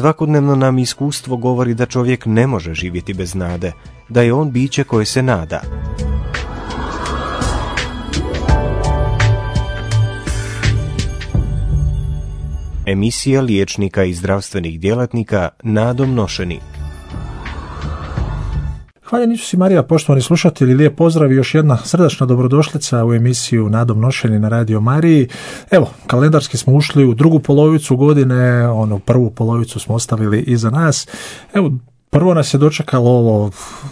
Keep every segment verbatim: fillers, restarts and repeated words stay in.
Svakodnevno nam iskustvo govori da čovjek ne može živjeti bez nade, da je on biće koje se nada. Emisija liječnika i zdravstvenih djelatnika Nadom Nošeni. Hvala Isus i Marija, poštovani slušatelji, lijep pozdrav i još jedna srdačna dobrodošlica u emisiju Nadom Nošeni na Radio Mariji. Evo, kalendarski smo ušli u drugu polovicu godine, onu prvu polovicu smo ostavili iza nas. Evo, prvo nas je dočekalo ovo,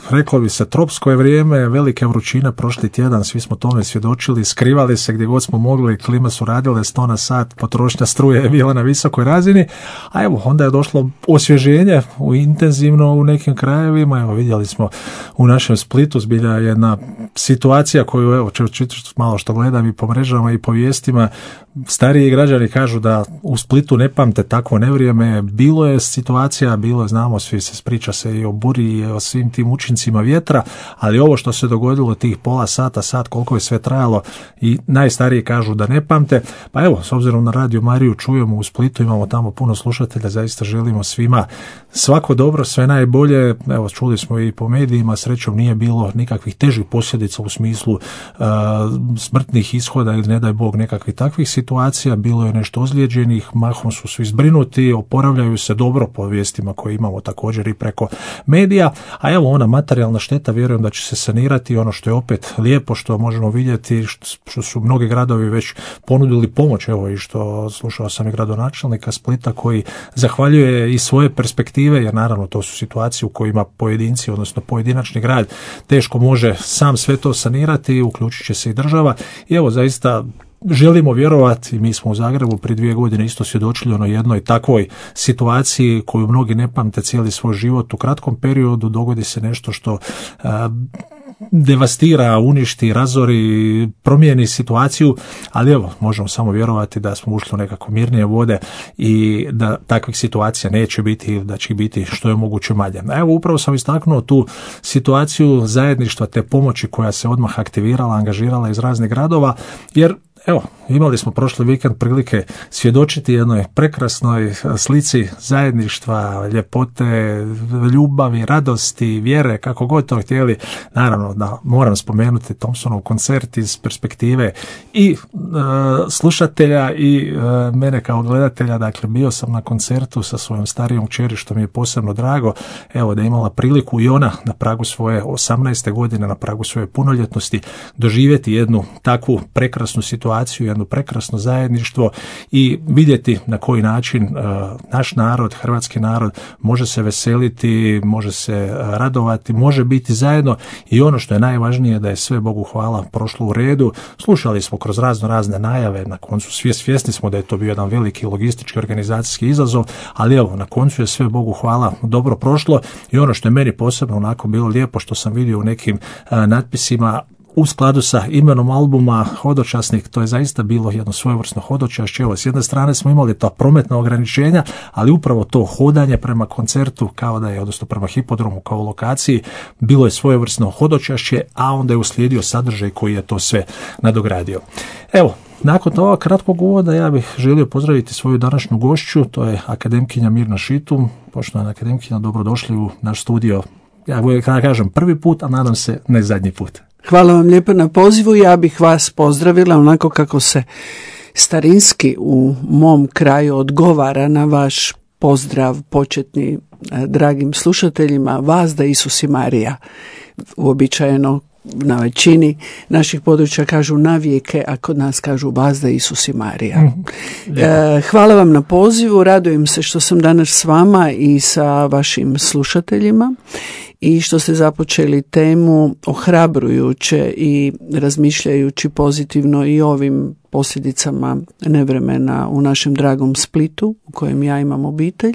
reklo bi se, tropsko je vrijeme, velike vrućine prošli tjedan, svi smo tome svjedočili, skrivali se gdje god smo mogli, klime su radile sto na sat, potrošnja struje je bila na visokoj razini, a evo, onda je došlo osvježenje u intenzivno u nekim krajevima, evo vidjeli smo u našem Splitu, zbilja jedna situacija koju, evo, čitaš malo što gledam i po mrežama i po vijestima, stariji građani kažu da u Splitu ne pamte takvo nevrijeme, bilo je situacija, bilo je, znamo, svi se priča se i o buri i o svim tim učincima vjetra, ali ovo što se dogodilo tih pola sata, sat, koliko je sve trajalo i najstariji kažu da ne pamte, pa evo, s obzirom na Radio Mariju čujemo u Splitu, imamo tamo puno slušatelja, zaista želimo svima svako dobro, sve najbolje, evo, čuli smo i po medijima, srećom nije bilo nikakvih težih posljedica u smislu uh, smrtnih ishoda ili ne daj Bog nekakvih takvih situacija, bilo je nešto ozlijeđenih, mahom su svi zbrinuti, oporavljaju se dobro po vijestima koje imamo također i preko medija, a evo ona materijalna šteta, vjerujem da će se sanirati, ono što je opet lijepo što možemo vidjeti, što su mnogi gradovi već ponudili pomoć, evo i što slušao sam i gradonačelnika Splita koji zahvaljuje i svoje perspektive, jer naravno to su situacije u kojima pojedinci, odnosno pojedinačni grad teško može sam sve to sanirati, uključit će se i država i evo zaista želimo vjerovati, mi smo u Zagrebu prije dvije godine isto svjedočili ono jednoj takvoj situaciji koju mnogi ne pamte cijeli svoj život, u kratkom periodu dogodi se nešto što a, devastira, uništi, razori, promijeni situaciju, ali evo, možemo samo vjerovati da smo ušli u nekako mirnije vode i da takvih situacija neće biti, da će biti što je moguće manje. Evo, upravo sam istaknuo tu situaciju zajedništva te pomoći koja se odmah aktivirala, angažirala iz raznih gradova, jer evo, imali smo prošli vikend prilike svjedočiti jednoj prekrasnoj slici zajedništva, ljepote, ljubavi, radosti, vjere, kako god to htjeli. Naravno da moram spomenuti Thompsonov koncert iz perspektive i e, slušatelja i e, mene kao gledatelja. Dakle, bio sam na koncertu sa svojom starijom kćeri, što mi je posebno drago. Evo, da je imala priliku i ona na pragu svoje osamnaeste godine, na pragu svoje punoljetnosti, doživjeti jednu takvu prekrasnu situaciju, jedno prekrasno zajedništvo i vidjeti na koji način uh, naš narod, hrvatski narod može se veseliti, može se radovati, može biti zajedno i ono što je najvažnije da je sve Bogu hvala prošlo u redu. Slušali smo kroz razno razne najave, na koncu svi svjesni smo da je to bio jedan veliki logistički organizacijski izazov, ali evo, na koncu je sve Bogu hvala dobro prošlo i ono što je meni posebno onako bilo lijepo što sam vidio u nekim uh, natpisima u skladu sa imenom albuma Hodočasnik, to je zaista bilo jedno svojevrsno hodočašće. Evo, s jedne strane smo imali ta prometna ograničenja, ali upravo to hodanje prema koncertu, kao da je, odnosno prema hipodromu kao lokaciji, bilo je svojevrsno hodočašće, a onda je uslijedio sadržaj koji je to sve nadogradio. Evo, nakon toga kratkog uvoda ja bih želio pozdraviti svoju današnju gošću, to je akademkinja Mirna Šitum. Poštovana akademkinja, dobrodošli u naš studio. Ja uvijek kažem prvi put, a nadam se ne zadnji put. Hvala vam lijepo na pozivu. Ja bih vas pozdravila onako kako se starinski u mom kraju odgovara na vaš pozdrav početni dragim slušateljima. Vas da Isus i Marija. Uobičajeno na većini naših područja kažu navijeke, a kod nas kažu vas da Isus i Marija. Mm, e, hvala vam na pozivu. Radujem se što sam danas s vama i sa vašim slušateljima i što ste započeli temu ohrabrujuće i razmišljajući pozitivno i ovim posljedicama nevremena u našem dragom Splitu u kojem ja imam obitelj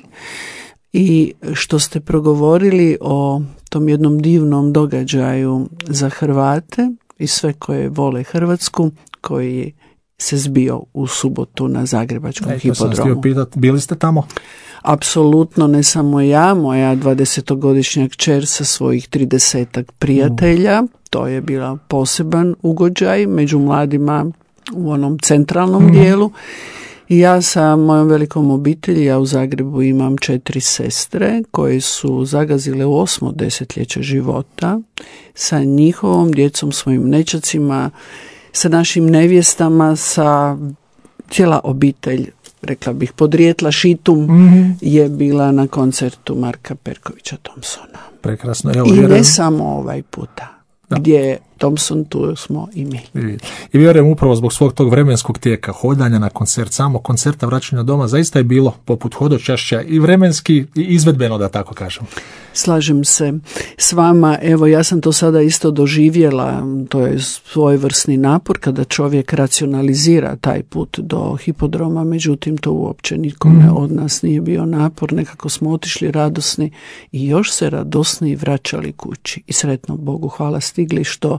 i što ste progovorili o tom jednom divnom događaju za Hrvate i sve koje vole Hrvatsku, koji se zbio u subotu na Zagrebačkom e, hipodromu. Pitat, bili ste tamo? Apsolutno, ne samo ja, moja dvadesetogodišnja kćer sa svojih tridesetak prijatelja, mm. to je bila poseban ugođaj među mladima u onom centralnom mm. dijelu I ja sa mojom velikom obitelji, ja u Zagrebu imam četiri sestre koje su zagazile u osmo desetljeće života sa njihovom djecom, svojim nećacima, sa našim nevjestama, sa cijela obitelj, rekla bih, podrijetla šitum mm-hmm. je bila na koncertu Marka Perkovića Thompsona. Prekrasno. Evo, I vjerujem... ne samo ovaj puta. Da. Gdje je Thompson, tu smo i mi. I, i vjerujem upravo zbog svog tog vremenskog tijeka, hodanja na koncert, samo koncerta, vraćanja doma, zaista je bilo poput hodočašća i vremenski i izvedbeno, da tako kažem. Slažem se s vama. Evo, ja sam to sada isto doživjela. To je svojevrsni napor kada čovjek racionalizira taj put do hipodroma, međutim to uopće nikome mm. od nas nije bio napor. Nekako smo otišli radosni i još se radosni vraćali kući. I sretno Bogu hvala stigli, što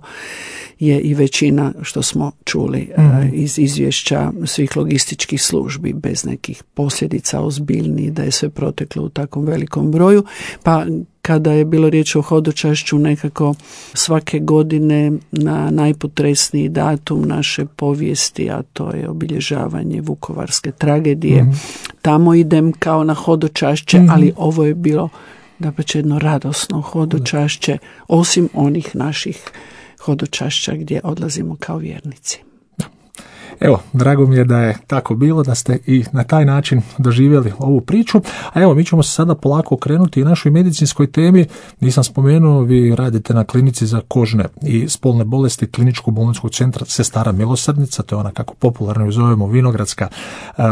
je i većina što smo čuli mm. iz izvješća svih logističkih službi, bez nekih posljedica ozbiljnijih, da je sve proteklo u takvom velikom broju. Pa kada je bilo riječ o hodočašću, nekako svake godine na najpotresniji datum naše povijesti, a to je obilježavanje vukovarske tragedije, mm-hmm. tamo idem kao na hodočašće, mm-hmm. ali ovo je bilo dapače jedno radosno hodočašće, osim onih naših hodočašća gdje odlazimo kao vjernici. Evo, drago mi je da je tako bilo, da ste i na taj način doživjeli ovu priču. A evo, mi ćemo se sada polako okrenuti i našoj medicinskoj temi. Nisam spomenuo, vi radite na klinici za kožne i spolne bolesti Kliničkog bolničkog centra Sestara Milosrdnica, to je ona kako popularno ju zovemo Vinogradska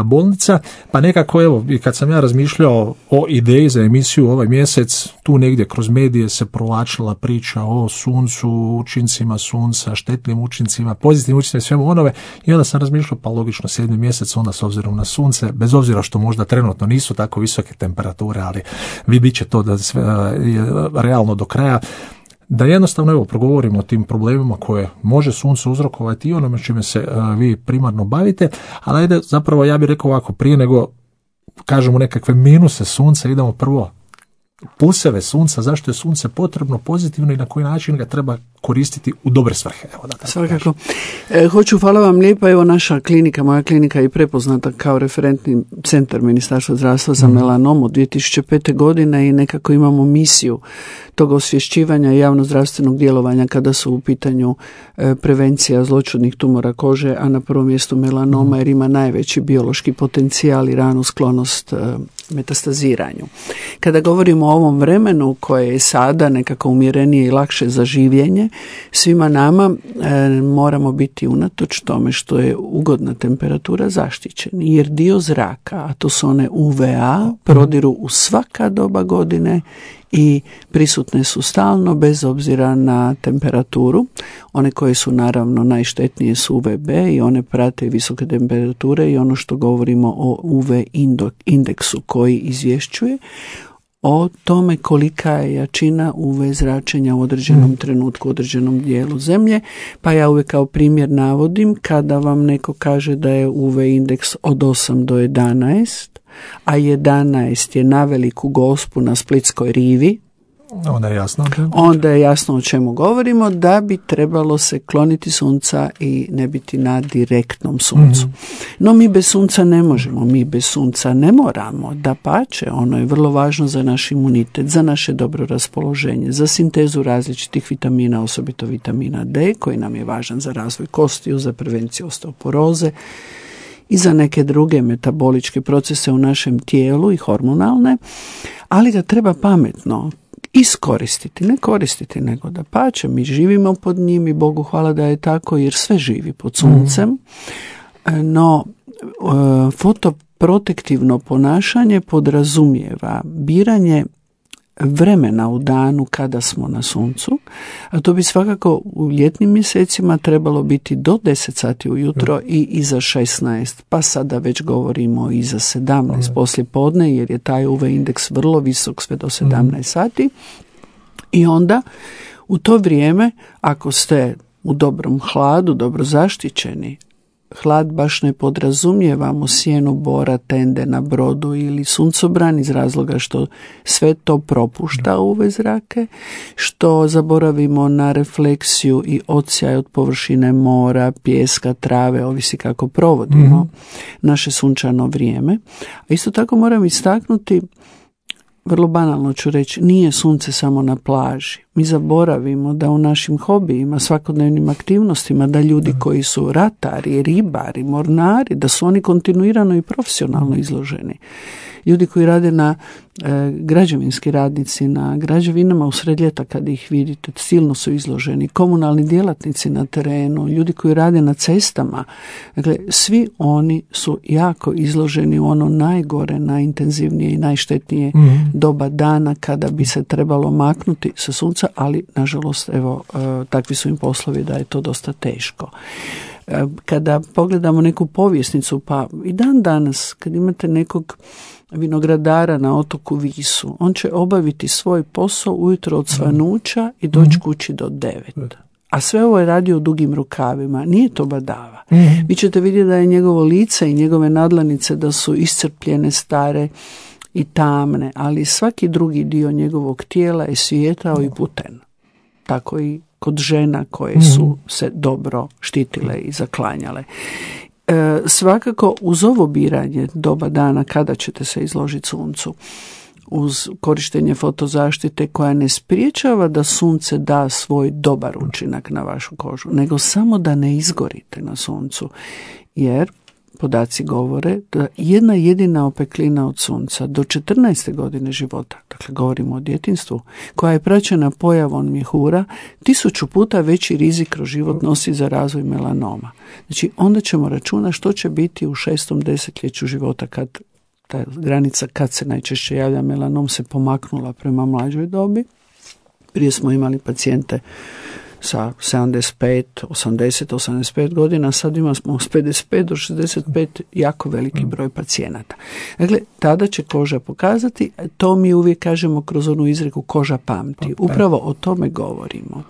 bolnica. Pa nekako, evo, i kad sam ja razmišljao o ideji za emisiju ovaj mjesec, tu negdje kroz medije se provlačila priča o suncu, učincima sunca, štetnim učincima, pozitivnim učincima i svemu onome, i onda sam razmišljao, pa logično, sedmi mjesec, onda s obzirom na sunce, bez obzira što možda trenutno nisu tako visoke temperature, ali vidit će to da sve je realno do kraja, da jednostavno evo progovorimo o tim problemima koje može sunce uzrokovati i onome čime se uh, vi primarno bavite, ali ajde, zapravo ja bih rekao ovako, prije nego kažemo nekakve minuse sunca, idemo prvo pluseve sunca, zašto je sunce potrebno, pozitivno i na koji način ga treba koristiti u dobre svrhe. Evo, da tako Svakako. E, hoću, hvala vam lijepa, evo naša klinika, moja klinika je prepoznata kao referentni centar Ministarstva zdravstva za mm. melanomu dvije tisuće pete. godine i nekako imamo misiju tog osvješćivanja i javnozdravstvenog djelovanja kada su u pitanju e, prevencija zloćudnih tumora kože, a na prvom mjestu melanoma, mm. jer ima najveći biološki potencijal i ranu sklonost e, metastaziranju. Kada govorimo o ovom vremenu koje je sada nekako umjerenije i lakše za življenje, svima nama e, moramo biti unatoč tome što je ugodna temperatura zaštićeni, jer dio zraka, a to su one U V A, prodiru u svaka doba godine i prisutne su stalno bez obzira na temperaturu. One koje su naravno najštetnije su U V B i one prate visoke temperature i ono što govorimo o U V indeksu koji izvješćuje o tome kolika je jačina U V zračenja u određenom mm. trenutku, u određenom dijelu zemlje. Pa ja uvijek kao primjer navodim kada vam neko kaže da je U V indeks od osam do jedanaest, a jedanaest je na Veliku Gospu na Splitskoj rivi, onda je jasno, onda je jasno o čemu govorimo, da bi trebalo se kloniti sunca i ne biti na direktnom suncu. Mm-hmm. No mi bez sunca ne možemo, mi bez sunca ne moramo, dapače, ono je vrlo važno za naš imunitet, za naše dobro raspoloženje, za sintezu različitih vitamina, osobito vitamina D, koji nam je važan za razvoj kostiju, za prevenciju osteoporoze i za neke druge metaboličke procese u našem tijelu i hormonalne, ali ga treba pametno iskoristiti, ne koristiti, nego da pače, mi živimo pod njim i Bogu hvala da je tako, jer sve živi pod suncem, mm. no fotoprotektivno ponašanje podrazumijeva biranje vremena u danu kada smo na suncu, a to bi svakako u ljetnim mjesecima trebalo biti do deset sati ujutro i iza šesnaest, pa sada već govorimo i za sedamnaest mm. poslije podne, jer je taj U V indeks vrlo visok sve do sedamnaest mm. sati. I onda u to vrijeme, ako ste u dobrom hladu, dobro zaštićeni, hlad baš ne podrazumijevamo sjenu bora, tende na brodu ili suncobran iz razloga što sve to propušta U V zrake, što zaboravimo na refleksiju i odsjaj od površine mora, pijeska, trave, ovisi kako provodimo mm-hmm. naše sunčano vrijeme. A isto tako moram istaknuti, vrlo banalno ću reći, nije sunce samo na plaži. Mi zaboravimo da u našim hobijima, svakodnevnim aktivnostima, da ljudi koji su ratari, ribari, mornari, da su oni kontinuirano i profesionalno izloženi. Ljudi koji rade na e, građevinski radnici, na građevinama usred ljeta kad ih vidite, silno su izloženi. Komunalni djelatnici na terenu, ljudi koji rade na cestama. Dakle, svi oni su jako izloženi u ono najgore, najintenzivnije i najštetnije mm-hmm. doba dana kada bi se trebalo maknuti sa sunca, ali nažalost, evo, e, takvi su im poslovi da je to dosta teško. E, kada pogledamo neku povjesnicu, pa i dan danas, kad imate nekog vinogradara na otoku Visu, on će obaviti svoj posao ujutro od svanuća i doći kući do devet. A sve ovo je radio u dugim rukavima. Nije to badava. Mm-hmm. Vi ćete vidjeti da je njegovo lice i njegove nadlanice da su iscrpljene, stare i tamne, ali svaki drugi dio njegovog tijela je svijetao i puten. Tako i kod žena koje su se dobro štitile i zaklanjale. E, svakako uz ovo biranje doba dana kada ćete se izložiti suncu, uz korištenje fotozaštite koja ne spriječava da sunce da svoj dobar učinak na vašu kožu, nego samo da ne izgorite na suncu, jer podaci govore da jedna jedina opeklina od sunca do četrnaeste godine života, dakle govorimo o djetinjstvu, koja je praćena pojavom mjehura, tisuću puta veći rizik kroz život nosi za razvoj melanoma. Znači onda ćemo računati što će biti u šestom desetljeću života kad ta granica kad se najčešće javlja melanom se pomaknula prema mlađoj dobi. Prije smo imali pacijente sa sedamdeset pet, osamdeset, osamdeset pet godina, sad imamo s pedeset pet do šezdeset pet jako veliki broj pacijenata. Dakle, tada će koža pokazati, to mi uvijek kažemo kroz onu izreku koža pamti. Upravo o tome govorimo.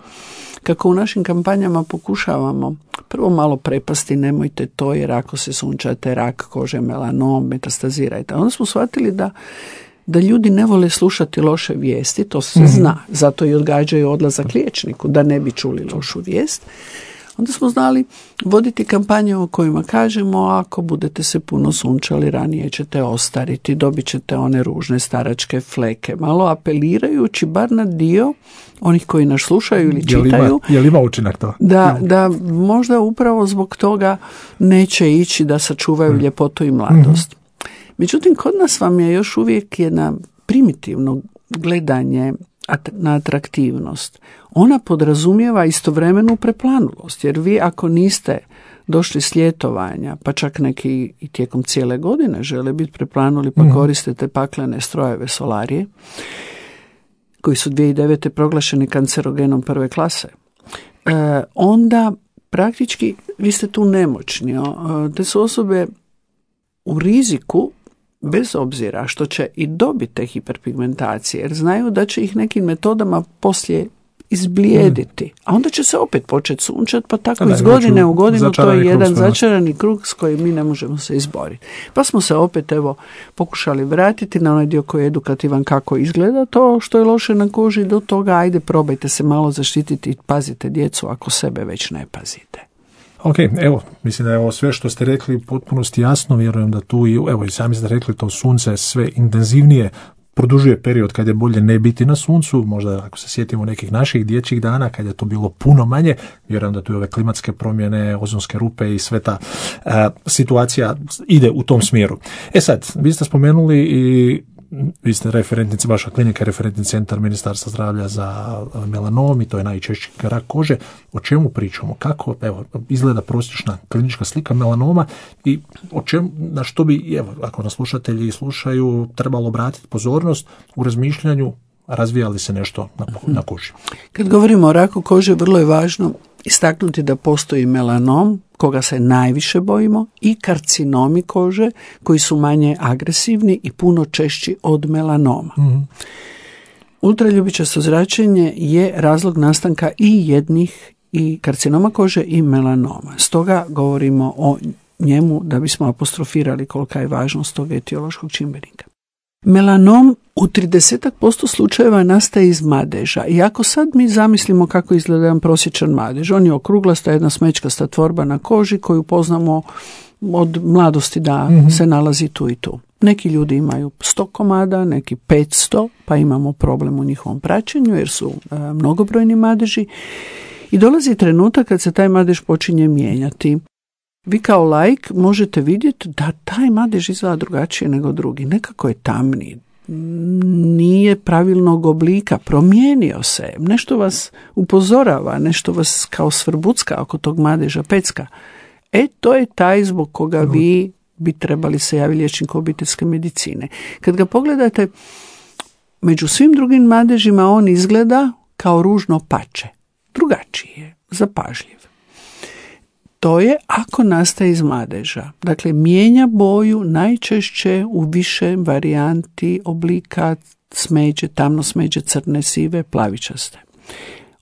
Kako u našim kampanjama pokušavamo prvo malo prepasti, nemojte to jer ako se sunčate, rak kože, melanom, metastazirajte. Onda smo shvatili da da ljudi ne vole slušati loše vijesti, to se mm-hmm. zna, zato i odgađaju odlazak liječniku, da ne bi čuli lošu vijest. Onda smo znali voditi kampanje u kojima kažemo ako budete se puno sunčali, ranije ćete ostariti, dobit ćete one ružne staračke fleke, malo apelirajući bar na dio onih koji nas slušaju ili čitaju. Je li ima, je li ima učinak to? Da, da možda upravo zbog toga neće ići da sačuvaju mm. ljepotu i mladost. Mm-hmm. Međutim, kod nas vam je još uvijek jedna primitivno gledanje na atraktivnost. Ona podrazumijeva istovremenu preplanulost, jer vi ako niste došli s ljetovanja, pa čak neki i tijekom cijele godine žele biti preplanuli, pa mm. koristite paklene strojeve solarije, koji su dvije tisuće devete proglašeni kancerogenom prve klase, e, onda praktički vi ste tu nemoćni. E, te su osobe u riziku bez obzira što će i dobiti te hiperpigmentacije, jer znaju da će ih nekim metodama poslije izblijediti. A onda će se opet početi sunčati, pa tako iz godine u godinu to je jedan začarani krug s kojim mi ne možemo se izboriti. Pa smo se opet evo pokušali vratiti na onaj dio koji je edukativan kako izgleda to što je loše na koži, do toga ajde probajte se malo zaštititi i pazite djecu ako sebe već ne pazite. Ok, evo, mislim da je ovo sve što ste rekli potpunosti jasno, vjerujem da tu, i, evo i sami ste rekli, to sunce sve intenzivnije produžuje period kad je bolje ne biti na suncu, možda ako se sjetimo nekih naših dječjih dana kad je to bilo puno manje, vjerujem da tu i ove klimatske promjene, ozonske rupe i sve ta uh, situacija ide u tom smjeru. E sad, vi ste spomenuli i vi ste referentnici, vaša klinika je referentni centar Ministarstva zdravlja za melanom i to je najčešći rak kože. O čemu pričamo? Kako evo, izgleda prosječna klinička slika melanoma i o čemu, na što bi, evo, ako nas slušatelji slušaju, trebalo obratiti pozornost u razmišljanju, razvija li se nešto na, na koži? Kad govorimo o raku kože, vrlo je važno istaknuti da postoji melanom, koga se najviše bojimo, i karcinomi kože koji su manje agresivni i puno češći od melanoma. Mm-hmm. Ultraljubičasto zračenje je razlog nastanka i jednih i karcinoma kože i melanoma. Stoga govorimo o njemu da bismo apostrofirali kolika je važnost tog etiološkog čimbenika. Melanom u trideset posto slučajeva nastaje iz madeža. I ako sad mi zamislimo kako izgleda jedan prosječan madež, on je okruglasta, jedna smećkasta tvorba na koži koju poznamo od mladosti da mm-hmm. se nalazi tu i tu. Neki ljudi imaju sto komada, neki petsto, pa imamo problem u njihovom praćenju jer su e, mnogobrojni madeži. I dolazi trenutak kad se taj madež počinje mijenjati. Vi kao laik možete vidjeti da taj madež izgleda drugačije nego drugi. Nekako je tamniji, nije pravilnog oblika, promijenio se, nešto vas upozorava, nešto vas kao svrbucka oko tog madeža pecka. E, to je taj zbog koga vi bi trebali se javiti liječniku obiteljske medicine. Kad ga pogledate, među svim drugim madežima on izgleda kao ružno pače. Drugačiji je, zapažljiv. To je ako nastaje iz madeža. Dakle, mijenja boju najčešće u više varijanti oblika smeđe, tamno smeđe, crne, sive, plavičaste.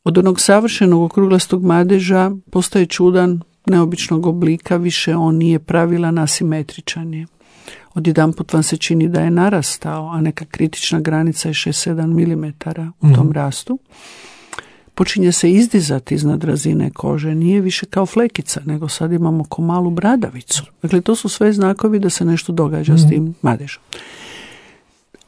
Od onog savršenog okruglastog madeža postaje čudan, neobičnog oblika, više on nije pravilan, asimetričan je. Odjedanput vam se čini da je narastao, a neka kritična granica je šest do sedam milimetara u tom mm. rastu. Počinje se izdizati iznad razine kože, nije više kao flekica, nego sad imamo ko malu bradavicu. Dakle, to su sve znakovi da se nešto događa mm. s tim madežom.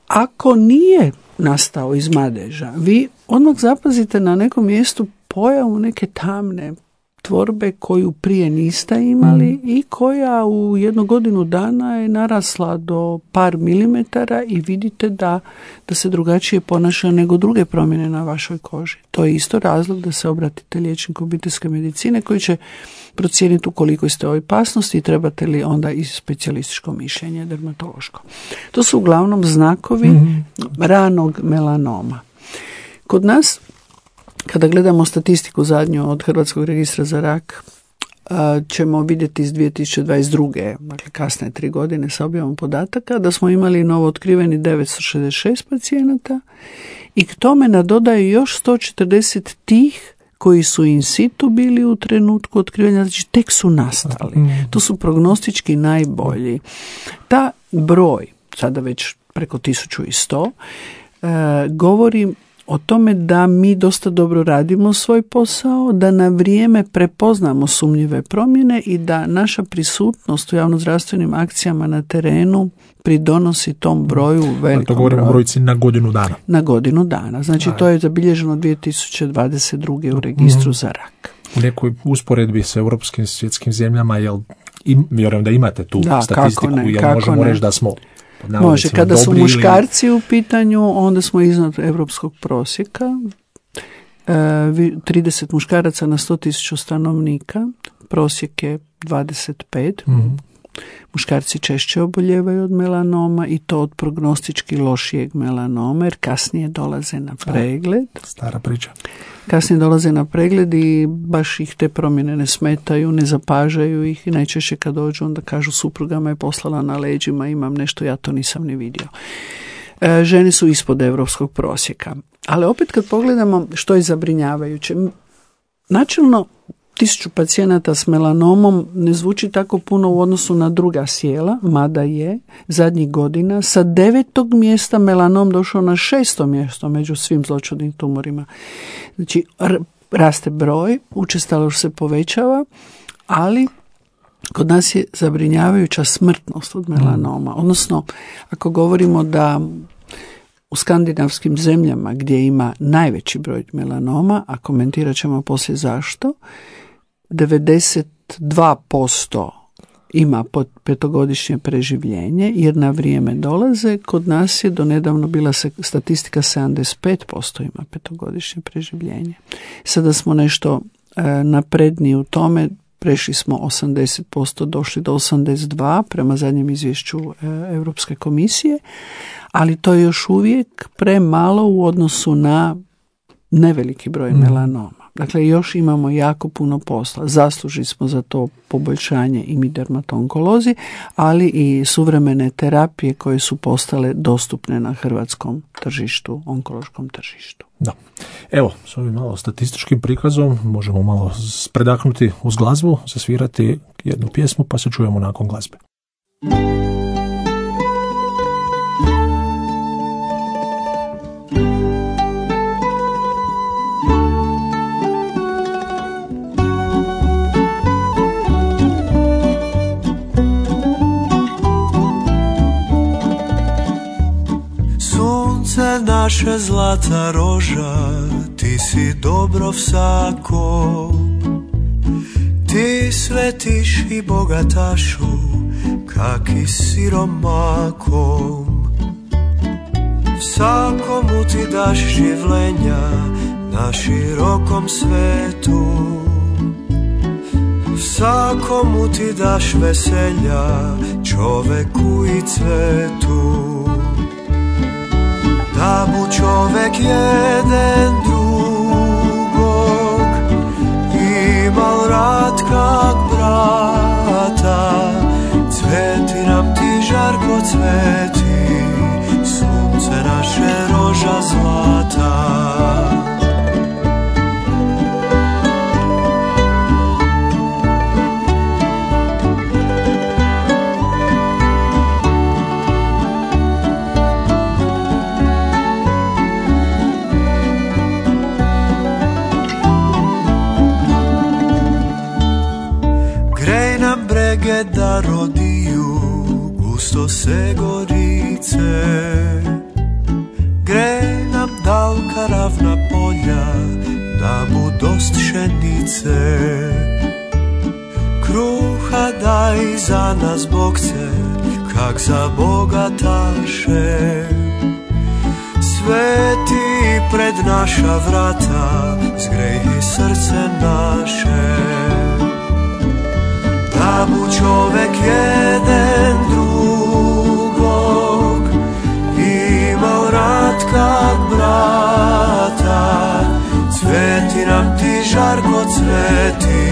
Ako nije nastao iz madeža, vi odmah zapazite na nekom mjestu pojavu neke tamne tvorbe koju prije niste imali mm. i koja u jednu godinu dana je narasla do par milimetara i vidite da, da se drugačije ponaša nego druge promjene na vašoj koži. To je isto razlog da se obratite liječniku obiteljske medicine koji će procijeniti u koliko ste u opasnosti i trebate li onda i specijalističko mišljenje dermatološko. To su uglavnom znakovi mm. ranog melanoma. Kod nas, kada gledamo statistiku zadnju od Hrvatskog registra za rak, ćemo vidjeti iz dvije tisuće dvadeset druge, dakle kasne tri godine sa objavom podataka, da smo imali novo otkriveni devetsto šezdeset šest pacijenata i k tome nadodaju još sto četrdeset tih koji su in situ bili u trenutku otkrivanja, znači tek su nastali. To su prognostički najbolji. Ta broj, sada već preko tisuću sto, govori o tome da mi dosta dobro radimo svoj posao, da na vrijeme prepoznamo sumnjive promjene i da naša prisutnost u javnozdravstvenim akcijama na terenu pridonosi tom broju velikom. To govorimo o brojci na godinu dana. Na godinu dana. Znači Aj. to je zabilježeno dvije tisuće dvadeset druge u registru mm. za rak. U nekoj usporedbi sa europskim svjetskim zemljama, jel, im, vjerujem da imate tu da, statistiku, ne, jel možemo reći da smo Može, kada su muškarci ili... u pitanju, onda smo iznad europskog prosjeka. E, trideset muškaraca na sto tisuća stanovnika, prosjek je dvadeset pet. Mm-hmm. Muškarci češće oboljevaju od melanoma i to od prognostički lošijeg melanoma, jer kasnije dolaze na pregled. Stara priča. Kasnije dolaze na pregled i baš ih te promjene ne smetaju, ne zapažaju ih i najčešće kad dođu onda kažu supruga me je poslala na leđima, imam nešto, ja to nisam ni vidio. E, žene su ispod europskog prosjeka. Ali opet kad pogledamo što je zabrinjavajuće, načelno tisuću pacijenata s melanomom ne zvuči tako puno u odnosu na druga sjela, mada je zadnjih godina sa devetog mjesta melanom došao na šesto mjesto među svim zloćudnim tumorima. Znači, r- raste broj, učestalost se povećava, ali kod nas je zabrinjavajuća smrtnost od melanoma. Odnosno, ako govorimo da u skandinavskim zemljama gdje ima najveći broj melanoma, a komentirat ćemo poslije zašto, devedeset dva posto ima petogodišnje preživljenje jer na vrijeme dolaze. Kod nas je do nedavno bila statistika sedamdeset pet posto ima petogodišnje preživljenje. Sada smo nešto e, napredniji u tome, prešli smo osamdeset posto, došli do osamdeset dva prema zadnjem izvješću e, Europske komisije, ali to je još uvijek premalo u odnosu na neveliki broj mm. melanoma. Dakle, još imamo jako puno posla. Zaslužili smo za to poboljšanje i mi dermatonkolozi, ali i suvremene terapije koje su postale dostupne na hrvatskom tržištu, onkološkom tržištu. Da. Evo, s ovim malo statističkim prikazom možemo malo predahnuti uz glazbu, zasvirati jednu pjesmu, pa se čujemo nakon glazbe. Sunce naše zlata roža, ti si dobro vsako. Ti svetiš i bogatašu, kak i siromakom. Vsakomu ti daš življenja na širokom svetu. Vsakomu ti daš veselja, čoveku i cvetu. Da bu čovek jeden drugog imal rad kak brata, cveti nam ti žarko cveti, sunce naše roža zlata. Da rodiju gusto se gorice, grej nam dalka ravna polja, da bu dost šenice. Kruha daj za nas bogce, kak za bogataše. Sveti pred naša vrata, zgreji srce naše. Da bu čovek jeden drugog imao rad kak brata, cveti nam ti žarko cveti,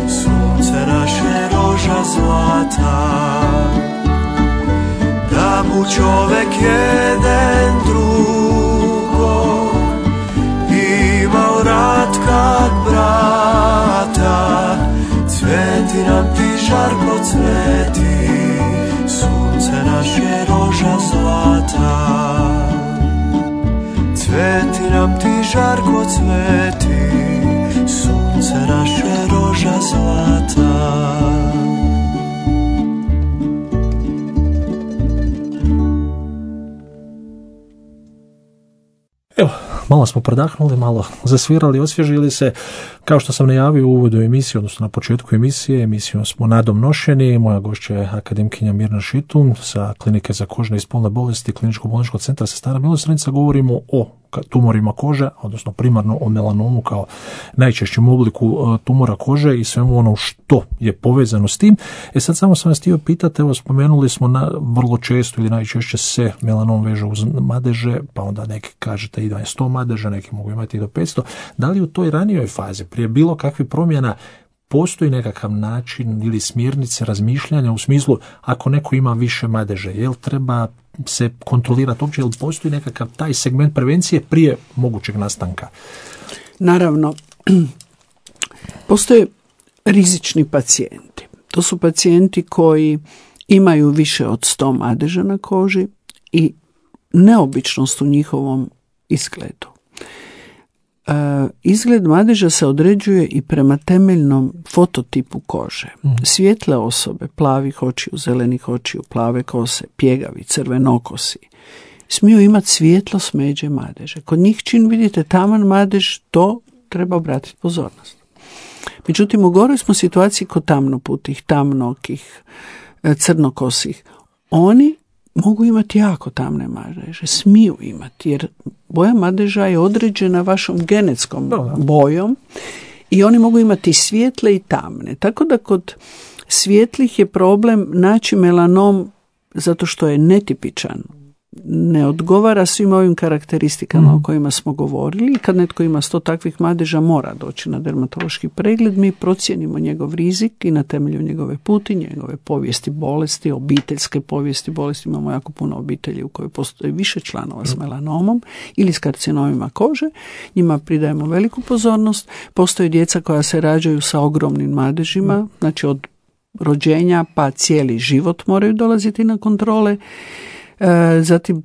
sunce naše roža zlata. Da bu čovek jeden drugog imao rad kak brata, cveti nam ti žarko cveti, sunce naše roža zlata. Cveti nam ti žarko cveti, sunce naše roža zlata. Evo, malo smo predahnuli, malo zasvirali, osvježili se. Kao što sam najavio u uvodu emisije, odnosno na početku emisije, emisijom smo nadom nošeni. Moja gošća je akademkinja Mirna Šitun sa Klinike za kožne i spolne bolesti Kliničkog bolničkog centra Sestara Milosrdnica. Govorimo o tumorima kože, odnosno primarno o melanomu kao najčešćem obliku tumora kože i svemu ono što je povezano s tim. E sad samo sam vas htio pitati, evo spomenuli smo na, vrlo često ili najčešće se melanom veže uz madeže, pa onda neki kažete i da je sto madeža, neki mogu imati i do petsto. Da li u toj ranijoj fazi, prije bilo kakvih promjena, postoji nekakav način ili smjernice razmišljanja u smislu ako neko ima više madeže, jel treba se kontrolirati uopće, jel postoji nekakav taj segment prevencije prije mogućeg nastanka? Naravno, postoje rizični pacijenti. To su pacijenti koji imaju više od sto madeža na koži i neobičnost u njihovom izgledu. Uh, izgled madeža se određuje i prema temeljnom fototipu kože. Mm. Svijetle osobe, plavih očiju, zelenih očiju, plave kose, pjegavi, crvenokosi, smiju imati svijetlo smeđe madeže. Kod njih čim vidite taman madež, to treba obratiti pozornost. Međutim, u goroj smo situaciji kod tamnoputih, tamnokih, crnokosih. Oni mogu imati jako tamne madeže, smiju imati, jer boja madeža je određena vašom genetskom bojom i oni mogu imati svijetle i tamne. Tako da kod svjetlih je problem naći melanom zato što je netipičan ne odgovara svim ovim karakteristikama mm. o kojima smo govorili. I kad netko ima sto takvih madeža, mora doći na dermatološki pregled. Mi procijenimo njegov rizik i na temelju njegove puti, njegove povijesti bolesti, obiteljske povijesti bolesti. Imamo jako puno obitelji u kojoj postoji više članova s melanomom ili s karcinomima kože. Njima pridajemo veliku pozornost. Postoji djeca koja se rađaju sa ogromnim madežima, mm. znači od rođenja pa cijeli život moraju dolaziti na kontrole. E, zatim,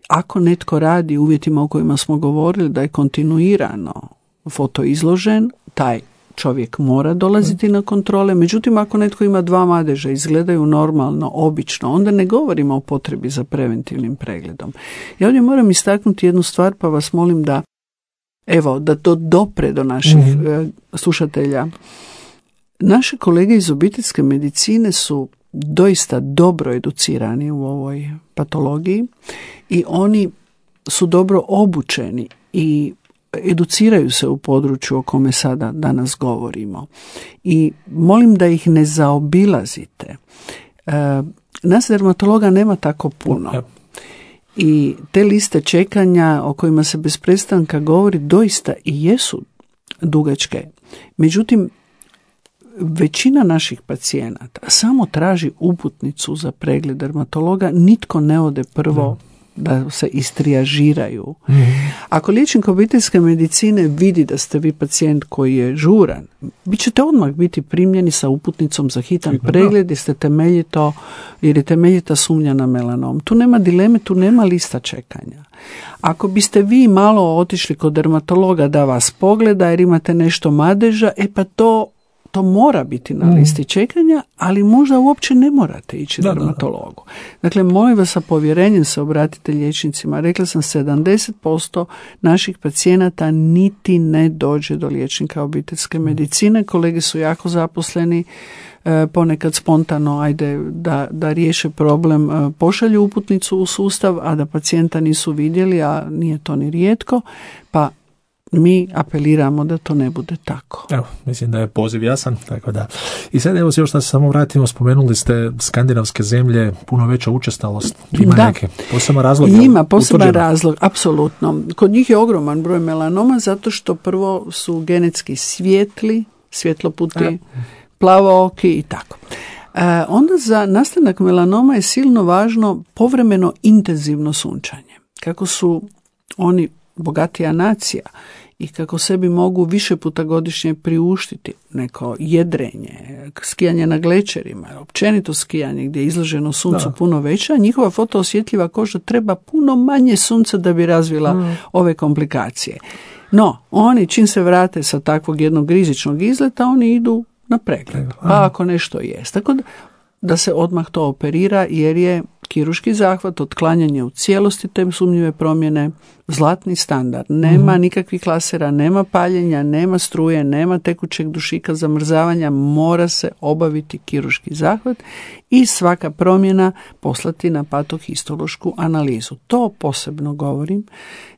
ako netko radi u uvjetima u kojima smo govorili da je kontinuirano fotoizložen, taj čovjek mora dolaziti na kontrole. Međutim, ako netko ima dva madeža, izgledaju normalno, obično, onda ne govorimo o potrebi za preventivnim pregledom. Ja ovdje moram istaknuti jednu stvar, pa vas molim da, evo, da to dopre do naših mm-hmm. slušatelja. Naše kolege iz obiteljske medicine su doista dobro educirani u ovoj patologiji i oni su dobro obučeni i educiraju se u području o kome sada danas govorimo. I molim da ih ne zaobilazite. E, nas dermatologa nema tako puno. I te liste čekanja o kojima se bez prestanka govori doista i jesu dugačke. Međutim, većina naših pacijenata samo traži uputnicu za pregled dermatologa, nitko ne ode prvo da se istrijažiraju. Mm-hmm. Ako liječnik obiteljske medicine vidi da ste vi pacijent koji je žuran, bit ćete odmah biti primljeni sa uputnicom za hitan Hitno, pregled jer ste temeljito, jer je temeljita sumnja na melanom. Tu nema dileme, tu nema lista čekanja. Ako biste vi malo otišli kod dermatologa da vas pogleda jer imate nešto madeža, e pa to To mora biti na listi čekanja, ali možda uopće ne morate ići da, dermatologu. Da, da. Dakle, molim vas, sa povjerenjem se obratite liječnicima. Rekla sam, sedamdeset posto naših pacijenata niti ne dođe do liječnika obiteljske medicine. Kolege su jako zaposleni, ponekad spontano, ajde da, da riješe problem, pošalju uputnicu u sustav, a da pacijenta nisu vidjeli, a nije to ni rijetko, pa mi apeliramo da to ne bude tako. Evo, mislim da je poziv jasan, tako da. I sad evo se još da se samo vratimo, spomenuli ste skandinavske zemlje, puno veća učestalost. Ima da. Neke poseban razlog? Ima poseban utvrđeno? Razlog, apsolutno. Kod njih je ogroman broj melanoma zato što prvo su genetski svijetli, svjetloputi, A. plavooki i tako. E, onda za nastanak melanoma je silno važno povremeno intenzivno sunčanje. Kako su oni bogatija nacija i kako sebi mogu više puta godišnje priuštiti neko jedrenje, skijanje na glečerima, općenito skijanje gdje je izloženo suncu da. Puno veća, njihova fotoosjetljiva koža treba puno manje sunca da bi razvila mm. ove komplikacije. No, oni čim se vrate sa takvog jednog rizičnog izleta, oni idu na pregled, pa ako nešto jest. Tako da, da se odmah to operira jer je kirurški zahvat, otklanjanje u cijelosti te sumnjive promjene, zlatni standard. Nema mm. nikakvih lasera, nema paljenja, nema struje, nema tekućeg dušika, zamrzavanja, mora se obaviti kirurški zahvat i svaka promjena poslati na patohistološku analizu. To posebno govorim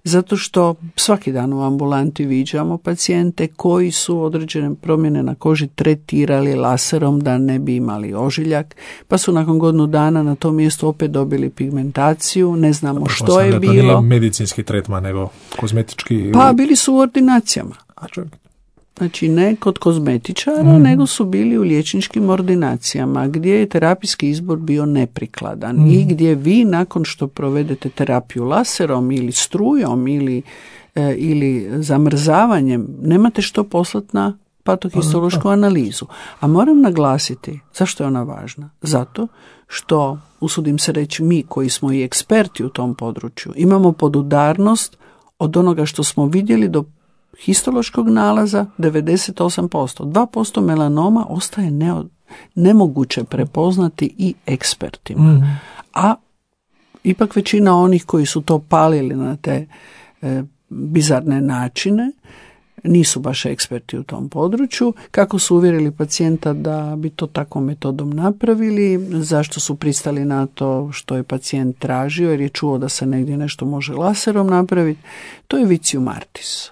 zato što svaki dan u ambulanti viđamo pacijente koji su određene promjene na koži tretirali laserom da ne bi imali ožiljak, pa su nakon godinu dana na tom mjestu opet dobili pigmentaciju, ne znamo Dobro, što je bilo. To nije medicinski tretman, nego kozmetički. Pa bili su u ordinacijama. A čovjek. Znači ne kod kozmetičara, mm. nego su bili u liječničkim ordinacijama gdje je terapijski izbor bio neprikladan mm. i gdje vi nakon što provedete terapiju laserom ili strujom ili, e, ili zamrzavanjem nemate što poslati na patohistološku analizu. A moram naglasiti, zašto je ona važna? Zato što, usudim se reći, mi koji smo i eksperti u tom području, imamo podudarnost od onoga što smo vidjeli do histološkog nalaza devedeset osam posto. dva posto melanoma ostaje ne, nemoguće prepoznati i ekspertima. Mm. A ipak većina onih koji su to palili na te e, bizarne načine nisu baš eksperti u tom području. Kako su uvjerili pacijenta da bi to takvom metodom napravili, zašto su pristali na to što je pacijent tražio jer je čuo da se negdje nešto može laserom napraviti, to je vicium artis,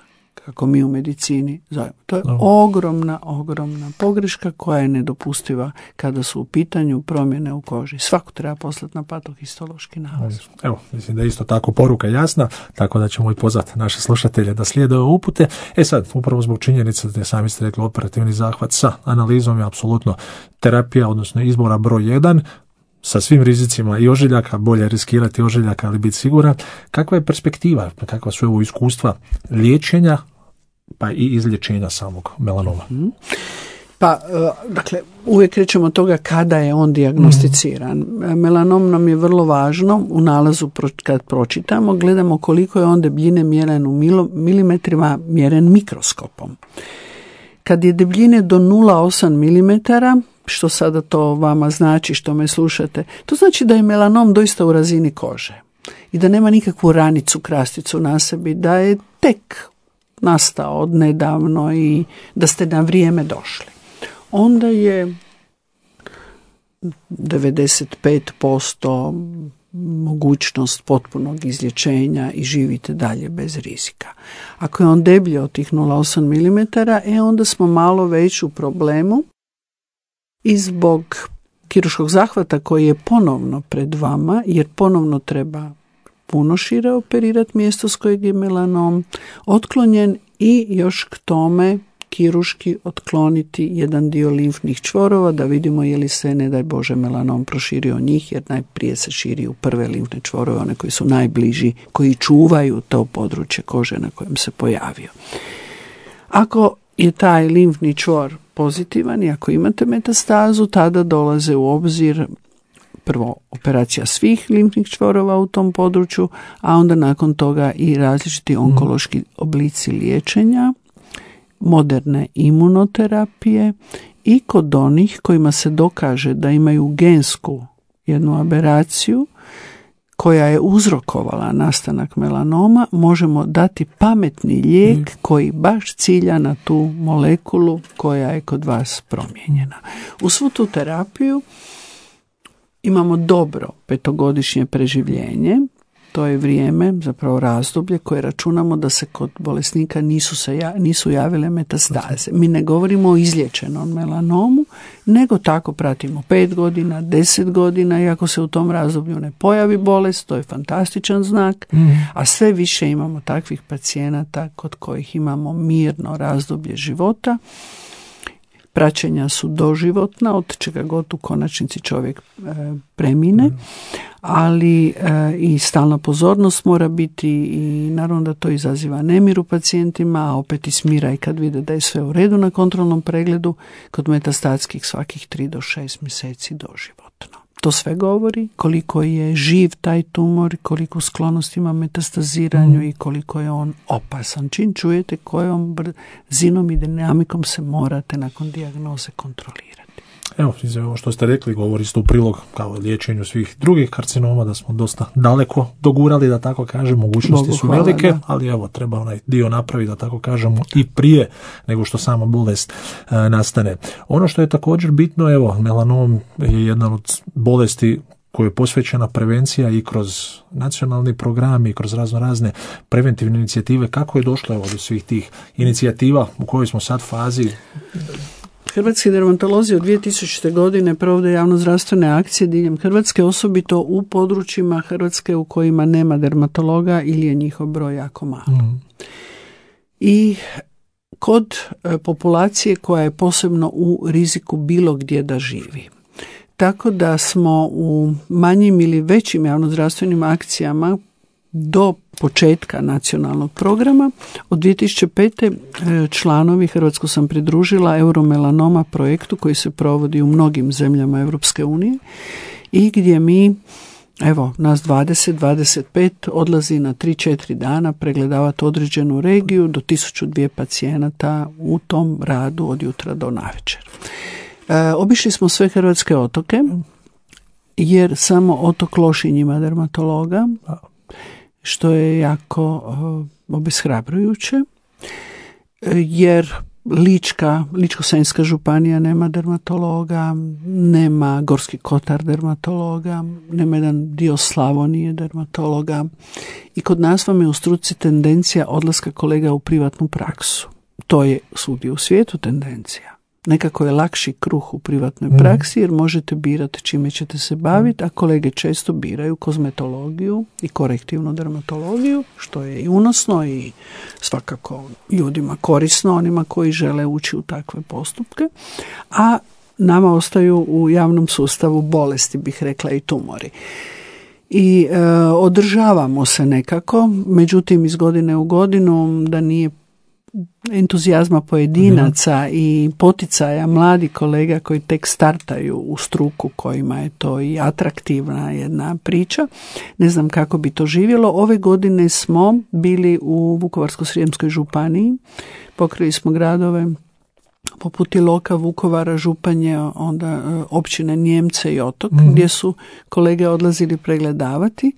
kako mi u medicini zovemo. To je no. ogromna, ogromna pogreška koja je nedopustiva kada su u pitanju promjene u koži. Svako treba poslati na patohistološki nalaz. Evo, mislim da je isto tako poruka jasna, tako da ćemo i pozvati naše slušatelje da slijede ove upute. E sad, upravo zbog činjenice da sami ste rekli operativni zahvat sa analizom je apsolutno terapija, odnosno izbora broj jedan, sa svim rizicima i ožiljaka, bolje riskirati ožiljaka ali biti siguran. Kakva je perspektiva, kakva su ovo iskustva liječenja pa i izlječenja samog melanoma? Mm. Pa, dakle, uvijek krećemo od toga kada je on dijagnosticiran. Mm. Melanom nam je vrlo važno, u nalazu kad pročitamo, gledamo koliko je on debljine mjeren u milimetrima, mjeren mikroskopom. Kad je debljine do nula zarez osam milimetara, što sada to vama znači, što me slušate, to znači da je melanom doista u razini kože i da nema nikakvu ranicu, krasticu na sebi, da je tek nastao od nedavno i da ste na vrijeme došli. Onda je devedeset pet posto mogućnost potpunog izlječenja i živite dalje bez rizika. Ako je on deblji od tih nula zarez osam milimetara, e onda smo malo već u problemu i zbog kirurškog zahvata koji je ponovno pred vama, jer ponovno treba puno šire operirati mjesto s kojeg je melanom otklonjen i još k tome kirurški otkloniti jedan dio limfnih čvorova da vidimo je li se, ne daj Bože, melanom proširio njih, jer najprije se širi u prve limfne čvorove, one koji su najbliži, koji čuvaju to područje kože na kojem se pojavio. Ako je taj limfni čvor pozitivan i ako imate metastazu, tada dolaze u obzir prvo operacija svih limfnih čvorova u tom području, a onda nakon toga i različiti onkološki oblici liječenja, moderne imunoterapije i kod onih kojima se dokaže da imaju gensku jednu aberaciju koja je uzrokovala nastanak melanoma, možemo dati pametni lijek koji baš cilja na tu molekulu koja je kod vas promijenjena. U svu tu terapiju imamo dobro petogodišnje preživljenje. To je vrijeme, zapravo razdoblje koje računamo da se kod bolesnika nisu, se ja, nisu javile metastaze. Mi ne govorimo o izliječenom melanomu, nego tako pratimo pet godina, deset godina i ako se u tom razdoblju ne pojavi bolest, to je fantastičan znak, mm. a sve više imamo takvih pacijenata kod kojih imamo mirno razdoblje života. Praćenja su doživotna, od čega god u konačnici čovjek e, premine, mm. ali e, i stalna pozornost mora biti i naravno da to izaziva nemir u pacijentima, a opet i smira i kad vide da je sve u redu na kontrolnom pregledu, kod metastatskih svakih tri do šest mjeseci doživotno. To sve govori koliko je živ taj tumor, koliko sklonost ima metastaziranju mm. i koliko je on opasan. Čim čujete kojom brzinom i dinamikom se morate nakon dijagnoze kontrolirati. Evo, ovo što ste rekli govori isto u prilog kao liječenju svih drugih karcinoma, da smo dosta daleko dogurali, da tako kažem, mogućnosti Bogu su hvala, velike, da. Ali evo, treba onaj dio napraviti, da tako kažemo, i prije nego što sama bolest e, nastane. Ono što je također bitno, evo, melanom je jedna od bolesti kojoj je posvećena prevencija i kroz nacionalni program i kroz razno razne preventivne inicijative. Kako je došlo evo, do svih tih inicijativa u kojoj smo sad fazi? Hrvatski dermatolozi od dvije tisućite. godine provode javnozdravstvene akcije diljem Hrvatske, osobito u područjima Hrvatske u kojima nema dermatologa ili je njihov broj jako mali. Mm. I kod populacije koja je posebno u riziku bilo gdje da živi. Tako da smo u manjim ili većim javnozdravstvenim akcijama do početka nacionalnog programa od dvije tisuće pete. članovi, Hrvatsku sam pridružila Euromelanoma projektu koji se provodi u mnogim zemljama Europske unije i gdje mi, evo, nas dvadeset do dvadeset pet odlazi na tri do četiri dana pregledavati određenu regiju do tisuću dvije pacijenata u tom radu od jutra do navečer. E, obišli smo sve hrvatske otoke jer samo otok Lošinj ima dermatologa, što je jako uh, obeshrabrujuće, jer Lička, Ličko-senjska županija nema dermatologa, nema Gorski kotar dermatologa, nema jedan dio Slavonije dermatologa. I kod nas vam je u struci tendencija odlaska kolega u privatnu praksu. To je svugdje u svijetu tendencija. Nekako je lakši kruh u privatnoj praksi jer možete birati čime ćete se baviti, a kolege često biraju kozmetologiju i korektivnu dermatologiju, što je i unosno i svakako ljudima korisno, onima koji žele ući u takve postupke, a nama ostaju u javnom sustavu bolesti, bih rekla, i tumori. I e, održavamo se nekako, međutim iz godine u godinu da nije entuzijazma pojedinaca i poticaja mladih kolega koji tek startaju u struku, kojima je to i atraktivna jedna priča. Ne znam kako bi to živjelo. Ove godine smo bili u Vukovarsko-srijemskoj županiji, pokrili smo gradove poput Iloka, Vukovara, Županje, onda općine Nijemce i Otok, mm. gdje su kolege odlazili pregledavati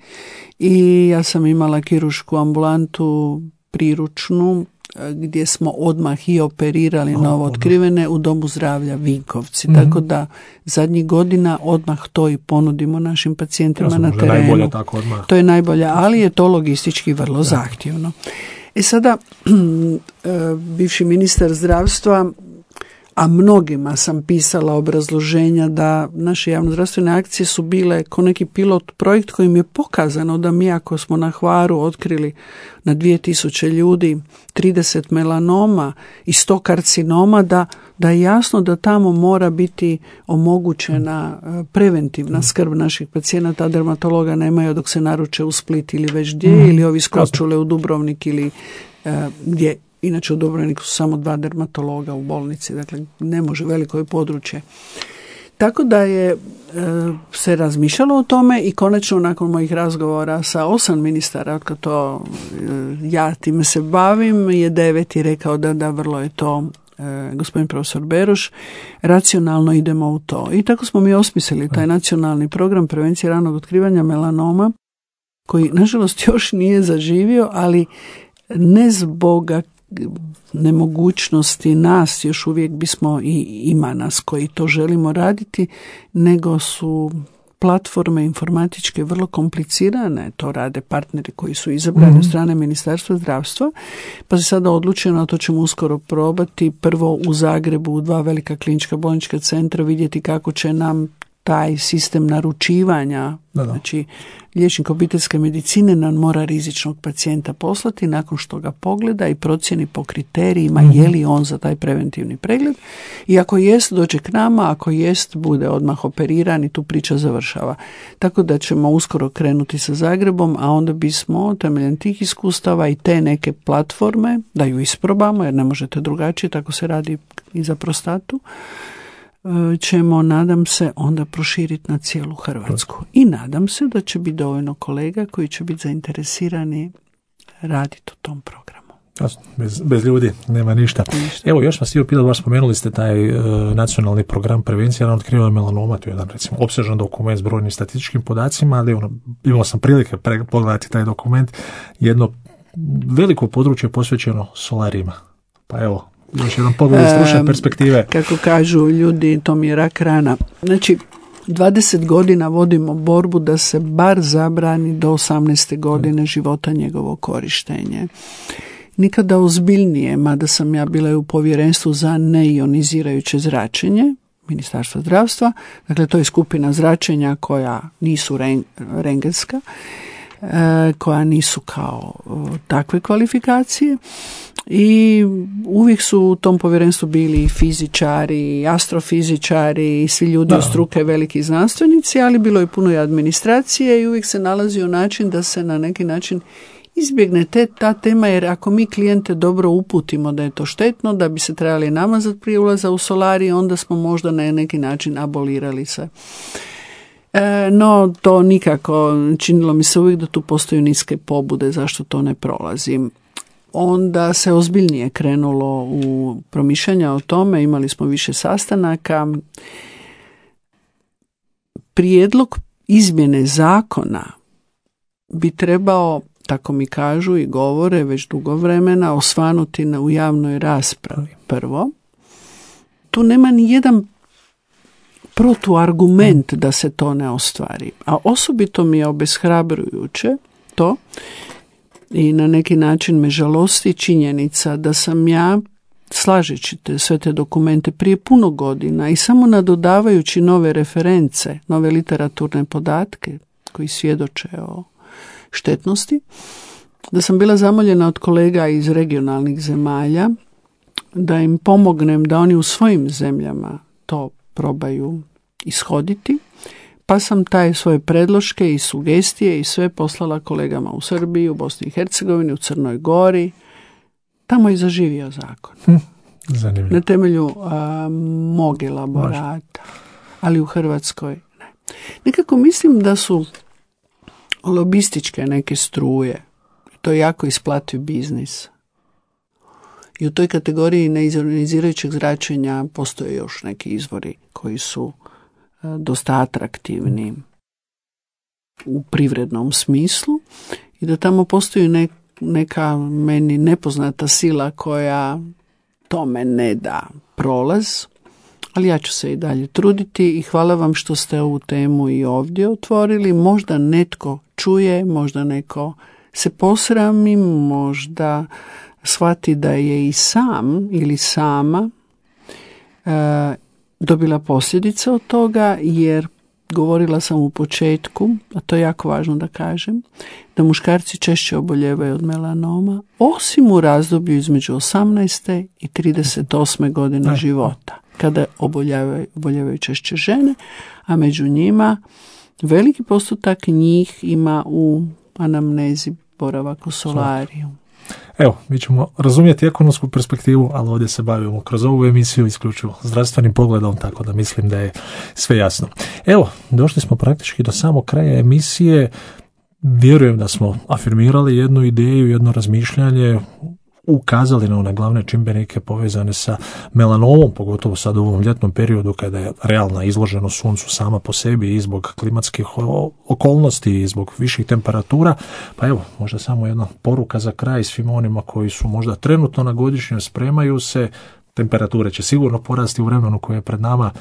i ja sam imala kiruršku ambulantu priručnu gdje smo odmah i operirali oh, novo otkrivene u Domu zdravlja Vinkovci. Mm-hmm. Tako da zadnjih godina odmah to i ponudimo našim pacijentima ja na terenu. Najbolje, tako odmah. To je najbolje, ali je to logistički vrlo ja. zahtjevno. E sada, bivši ministar zdravstva, a mnogima sam pisala obrazloženja da naše javnozdravstvene akcije su bile ko neki pilot projekt kojim je pokazano da mi ako smo na Hvaru otkrili na dvije tisuće ljudi trideset melanoma i sto karcinoma, da, da je jasno da tamo mora biti omogućena preventivna skrb naših pacijenata, dermatologa nemaju dok se naruče u Split ili već gdje, mm. ili ovi skočule u Dubrovnik ili e, gdje. Inače u Dubrovniku su samo dva dermatologa u bolnici, dakle ne može, veliko je područje. Tako da je e, se razmišljalo o tome i konačno nakon mojih razgovora sa osam ministara, od kad to e, ja time se bavim, je deveti rekao da da vrlo je to e, gospodin profesor Beroš, racionalno idemo u to. I tako smo mi osmislili taj nacionalni program prevencije ranog otkrivanja melanoma, koji nažalost još nije zaživio, ali ne zbog nemogućnosti nas, još uvijek bismo i ima nas koji to želimo raditi, nego su platforme informatičke vrlo komplicirane, to rade partneri koji su izabrani od strane Ministarstva zdravstva, pa se sada odlučeno, to ćemo uskoro probati, prvo u Zagrebu, u dva velika klinička bolnička centra, vidjeti kako će nam taj sistem naručivanja, da, da. znači liječnik obiteljske medicine nam mora rizičnog pacijenta poslati nakon što ga pogleda i procjeni po kriterijima mm-hmm. je li on za taj preventivni pregled i ako jest dođe k nama, ako jest bude odmah operiran i tu priča završava. Tako da ćemo uskoro krenuti sa Zagrebom, a onda bismo temeljem tih iskustava i te neke platforme, da ju isprobamo jer ne možete drugačije, tako se radi i za prostatu, ćemo, nadam se, onda proširiti na cijelu Hrvatsku. I nadam se da će biti dovoljno kolega koji će biti zainteresirani raditi u tom programu. Bez, bez ljudi nema ništa. ništa. Evo, još vas htio pitati, baš spomenuli ste taj uh, nacionalni program prevencije ranog otkrivanja melanoma, to je jedan, recimo, opsežan dokument s brojnim statističkim podacima, ali ono, imao sam prilike pre, pogledati taj dokument, jedno veliko područje posvećeno solarima. Pa evo, još jedan pogled iz stručne perspektive. Kako kažu ljudi, to mi je rak rana. Znači, dvadeset godina vodimo borbu da se bar zabrani do osamnaeste godine života njegovo korištenje. Nikada ozbiljnije, mada sam ja bila u povjerenstvu za neionizirajuće zračenje Ministarstva zdravstva, dakle to je skupina zračenja koja nisu rengenska, koja nisu kao takve kvalifikacije i uvijek su u tom povjerenstvu bili i fizičari, i astrofizičari i svi ljudi od struke, veliki znanstvenici, ali bilo je puno i administracije i uvijek se nalazio način da se na neki način izbjegne te, ta tema, jer ako mi klijente dobro uputimo da je to štetno, da bi se trebali namazati prije ulaza u solarij, onda smo možda na neki način abolirali se. E, no, to nikako, činilo mi se uvijek da tu postoje niske pobude zašto to ne prolazi. Onda se ozbiljnije krenulo u promišljanja o tome, imali smo više sastanaka. Prijedlog izmjene zakona bi trebao tako mi kažu i govore već dugo vremena, osvanuti na, u javnoj raspravi. Prvo, tu nema ni jedan protuargument da se to ne ostvari. A osobito mi je obeshrabrujuće to i na neki način me žalosti činjenica da sam ja, slažeći te sve te dokumente prije puno godina i samo nadodavajući nove reference, nove literaturne podatke koji svjedoče o štetnosti, da sam bila zamoljena od kolega iz regionalnih zemalja da im pomognem da oni u svojim zemljama to probaju ishoditi, pa sam taj svoje predloške i sugestije i sve poslala kolegama u Srbiji, u Bosni i Hercegovini, u Crnoj Gori. Tamo je zaživio zakon. Hm, zanimljivo. Na temelju a, mog elaborata, ali u Hrvatskoj ne. Nekako mislim da su lobističke neke struje, to je jako isplativ biznis. I u toj kategoriji neionizirajućeg zračenja postoje još neki izvori koji su dosta atraktivni u privrednom smislu i da tamo postoji ne, neka meni nepoznata sila koja tome ne da prolaz, ali ja ću se i dalje truditi i hvala vam što ste ovu temu i ovdje otvorili. Možda netko čuje, možda neko se posrami, možda shvati da je i sam ili sama e, dobila posljedice od toga, jer govorila sam u početku, a to je jako važno da kažem, da muškarci češće oboljevaju od melanoma, osim u razdoblju između osamnaeste i trideset osme godine života, kada oboljevaju, oboljevaju češće žene, a među njima veliki postotak njih ima u anamnezi boravak u solariju. Evo, mi ćemo razumjeti ekonomsku perspektivu, ali ovdje se bavimo kroz ovu emisiju isključivo zdravstvenim pogledom, tako da mislim da je sve jasno. Evo, došli smo praktički do samog kraja emisije. Vjerujem da smo afirmirali jednu ideju, jedno razmišljanje, ukazali na one glavne čimbenike povezane sa melanomom, pogotovo sad u ovom ljetnom periodu kada je realna izloženost suncu sama po sebi i zbog klimatskih okolnosti i zbog viših temperatura. Pa evo, možda samo jedna poruka za kraj svima onima koji su možda trenutno na godišnjoj, spremaju se, temperature će sigurno porasti u vremenu koje je pred nama,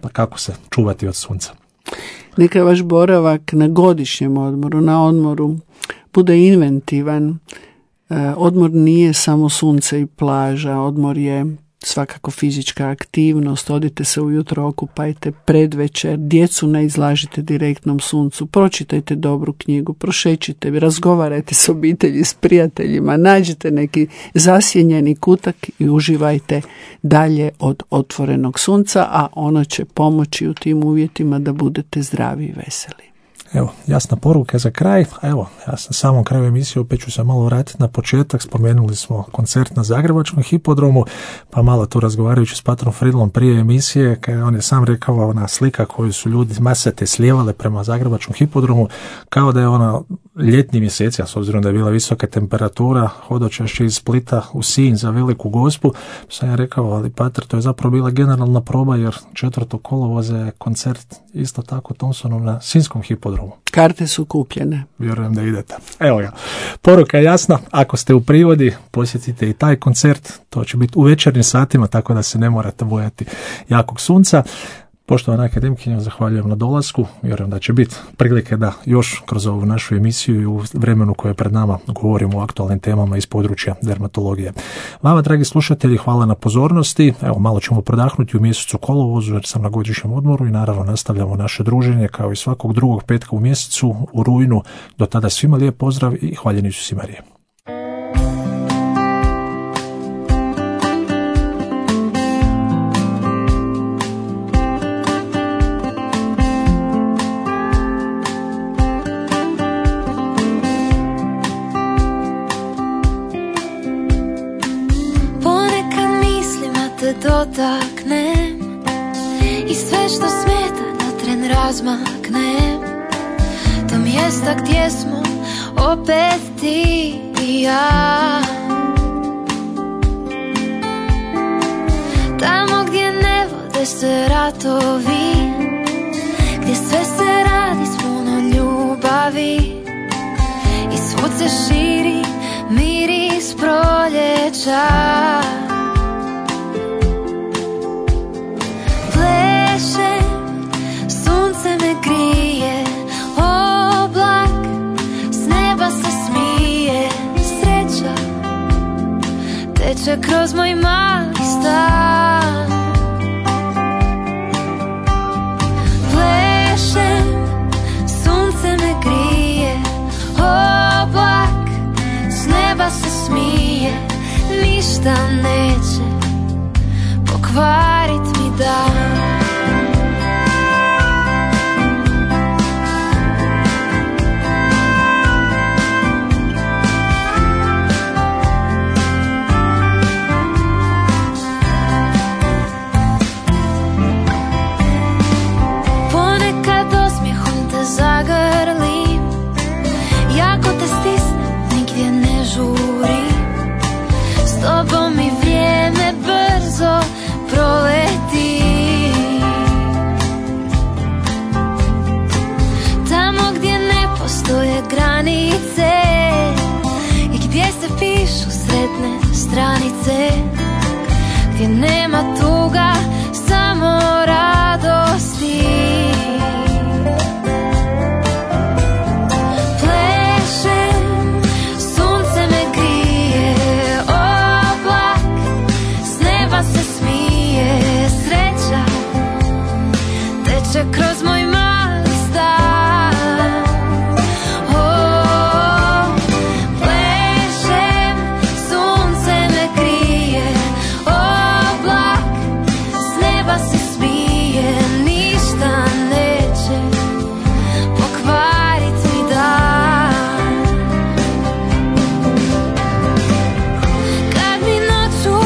pa kako se čuvati od sunca? Neka vaš boravak na godišnjem odmoru, na odmoru, bude inventivan. Odmor nije samo sunce i plaža, odmor je svakako fizička aktivnost, odite se ujutro, okupajte, predvečer, djecu ne izlažite direktnom suncu, pročitajte dobru knjigu, prošećite, razgovarajte s obitelji, s prijateljima, nađite neki zasjenjeni kutak i uživajte dalje od otvorenog sunca, a ono će pomoći u tim uvjetima da budete zdravi i veseli. Evo, jasna poruka za kraj. Evo, ja sam samom kraju emisije, opet ću se malo vratiti na početak. Spomenuli smo koncert na Zagrebačkom hipodromu, pa malo tu razgovarajući s patrom Fridlom prije emisije, kada on je sam rekao, ona slika koju su ljudi masate slijevale prema Zagrebačkom hipodromu, kao da je ona ljetni mjeseci, a s obzirom da je bila visoka temperatura, hodočašće iz Splita u Sinj za Veliku Gospu, sam ja rekao, ali pater, to je zapravo bila generalna proba, jer četvrtog kolovoza je koncert isto tako Thompsonov na Sinjskom hipodromu. Karte su kupljene. Vjerujem da idete. Evo ga. Poruka je jasna. Ako ste u privodi, posjetite i taj koncert. To će biti u večernjim satima, tako da se ne morate bojati jakog sunca. Poštovana akademkinja, zahvaljujem na dolasku. Vjerujem da će biti prilike da još kroz ovu našu emisiju i u vremenu koje je pred nama govorimo o aktualnim temama iz područja dermatologije. Vama, dragi slušatelji, hvala na pozornosti. Evo, malo ćemo prodahnuti u mjesecu kolovozu jer sam na godišnjem odmoru i naravno nastavljamo naše druženje kao i svakog drugog petka u mjesecu u rujnu. Do tada svima lijep pozdrav i hvaljeni Isus i Marija. Dotaknem i sve što smeta na tren razmaknem do mjesta gdje smo opet ti i ja, tamo gdje ne vode se ratovi, gdje sve se radi s puno ljubavi i svud se širi miris proljeća. Plešem, sunce me grije, oblak s neba se smije. Sreća teče kroz moj mali stan. Plešem, sunce me grije, oblak s neba se smije. Ništa neće pokvarit mi dan. Ponekad osmijehom te zagrlim, jako te stisnem, nigdje ne žurim. S tobom mi vrijeme brzo proleti. Tamo gdje ne postoje granice i gdje se pišu sretne stranice, gdje nema tuga, samo radosti. Plešem, sunce me grije, oblak s neba se smije. Sreća teče kroz moj mali stan. O, plešem, sunce me krije, oblak s neba se smije. Ništa neće pokvarit mi dan. Kad mi noću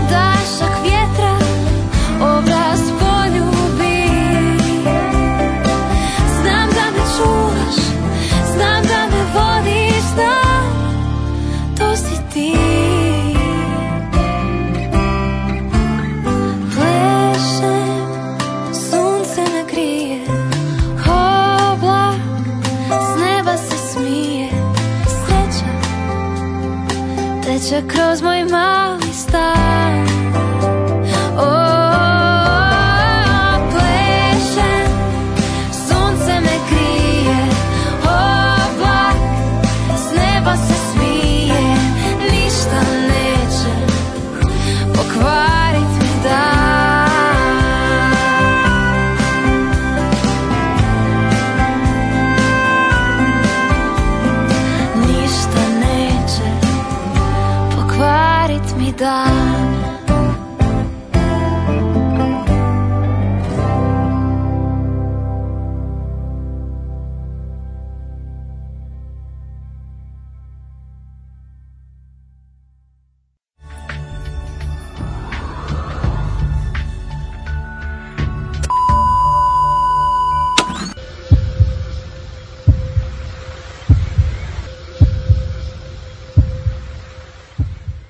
dašak vjetra obraz poljubi, znam da me čuvaš, znam da me vodiš, da to si ti. Plešem, sunce me grije, oblak s neba se smije. Sreća teče kroz moj mali stan. O, plešem, sunce me krije, oblak s neba se smije. Ništa neće pokvarit mi dan. Ništa neće pokvarit mi dan.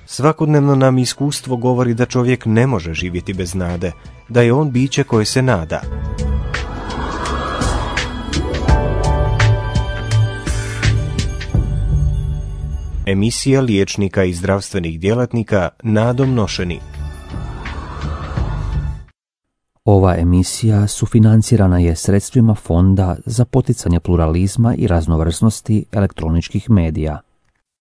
Svakodnevno nam iskustvo govori da čovjek ne može živjeti bez nade, da je on biće koje se nada. Emisija liječnika i zdravstvenih djelatnika Nadom nošeni. Ova emisija sufinancirana je sredstvima Fonda za poticanje pluralizma i raznovrsnosti elektroničkih medija.